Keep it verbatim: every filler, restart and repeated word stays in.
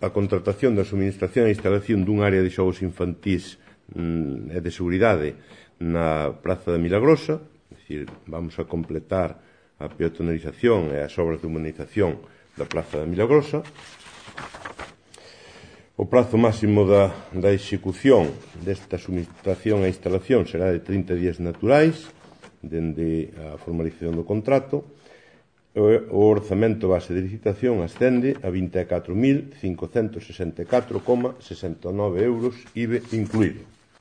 a contratación da suministración e instalación dun área de xogos infantís e de seguridade na Praza da Milagrosa, é dicir, vamos a completar a peatonalización e as obras de humanización da Praza da Milagrosa. O prazo máximo da, da execución desta suministración e instalación será de trinta días naturais, dende a formalización do contrato. O orzamento base de licitación ascende a vinte e catro mil cincocentos sesenta e catro coma sesenta e nove euros, I V A incluído.